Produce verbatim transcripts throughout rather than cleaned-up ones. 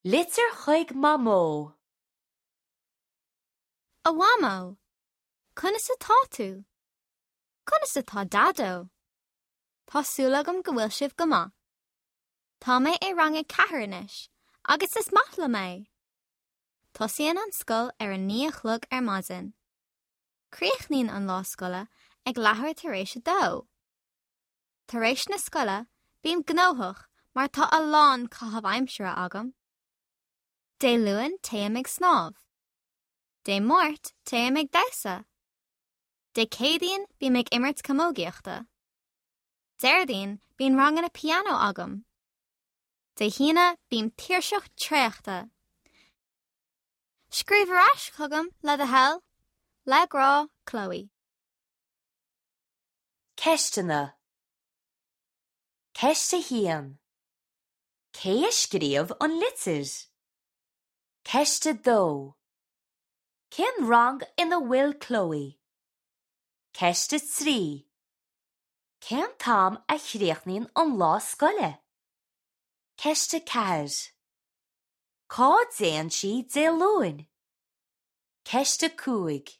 Litir chuig Mamó. A Mhamó, Conas atá tú? Conas atá Daideo? Tá súil agam go bhfuil sibh go maith. Tá mé i rang a ceathair anois, agus is maith liom é. Tosaíonn an scoil ar a naoi a chlog ar maidin. Críochnaíonn an lá scoile ag leathuair tar éis a dó. Tar éis na scoile bím gnóthach mar tá a lán caitheamh aimsire agam. Dé Luain téim ag snámh. Dé Máirt téim ag damhsa. Dé Céadaoin bím ag imirt camógaíochta. Déardaoin bíonn ranganna pianó agam. Dé hAoine bím tuirseach traochta. Scríobh ar ais chugam le do thoil, le grá Chloe. Ceisteanna Ceist a haon. Cé a scríobh an litir? Ceist a dó. Cén rang ina bhfuil Chloe? Ceist a trí. Cén t-am a chríochnaíonn an lá scoile? Ceist a ceathair. Cá dtéann sí Dé Luain? Ceist a cúig.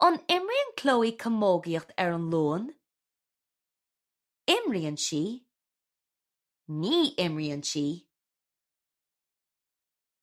An imríonn Chloe camógaíocht ar an Luan? Imríonn sí. Ní imríonn sí.